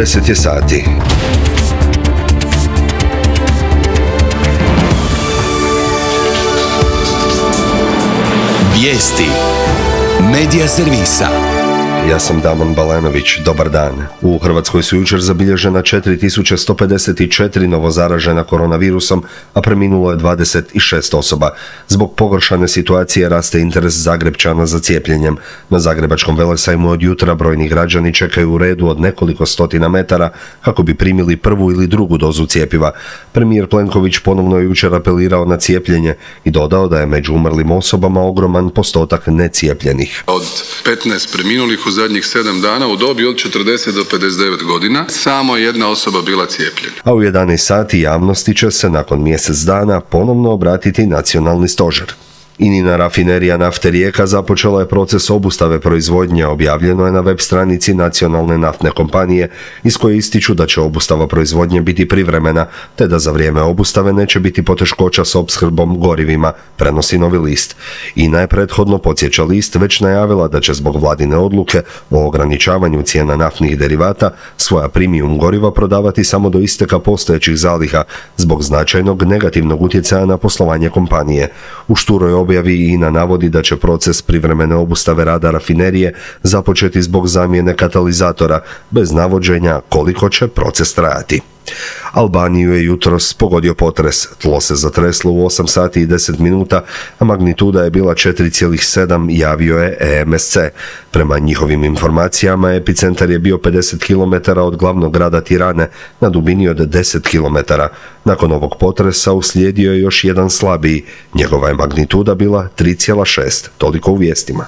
10 je sati. Vijesti Medija servisa. Ja sam Damon Balenović, dobar dan. U Hrvatskoj su jučer zabilježena 4154 novozaražena koronavirusom, a preminulo je 26 osoba. Zbog pogoršane situacije raste interes Zagrepčana za cijepljenjem. Na Zagrebačkom velesajmu od jutra brojni građani čekaju u redu od nekoliko stotina metara kako bi primili prvu ili drugu dozu cjepiva. Premijer Plenković ponovno je jučer apelirao na cijepljenje i dodao da je među umrlim osobama ogroman postotak necijepljenih. Od 15 preminulih u zadnjih 7 dana u dobi od 40 do 59 godina samo jedna osoba bila cijepljena. A u 11 sati javnosti će se nakon mjesec dana ponovno obratiti nacionalni stožer. INA rafinerija nafte Rijeka započela je proces obustave proizvodnje, objavljeno je na web stranici nacionalne naftne kompanije, iz koje ističu da će obustava proizvodnje biti privremena, te da za vrijeme obustave neće biti poteškoća s opskrbom gorivima, prenosi Novi list. INA je prethodno, podsjeća list, već najavila da će zbog vladine odluke o ograničavanju cijena naftnih derivata svoja premium goriva prodavati samo do isteka postojećih zaliha, zbog značajnog negativnog utjecaja na poslovanje kompanije. U šturoj objavi INA navodi da će proces privremene obustave rada rafinerije započeti zbog zamjene katalizatora, bez navođenja koliko će proces trajati. Albaniju je jutros pogodio potres. Tlo se zatreslo u 8 sati i 10 minuta, a magnituda je bila 4,7, javio je EMSC. Prema njihovim informacijama, epicentar je bio 50 km od glavnog grada Tirane, na dubini od 10 km. Nakon ovog potresa uslijedio je još jedan slabiji. Njegova je magnituda bila 3,6. Toliko u vijestima.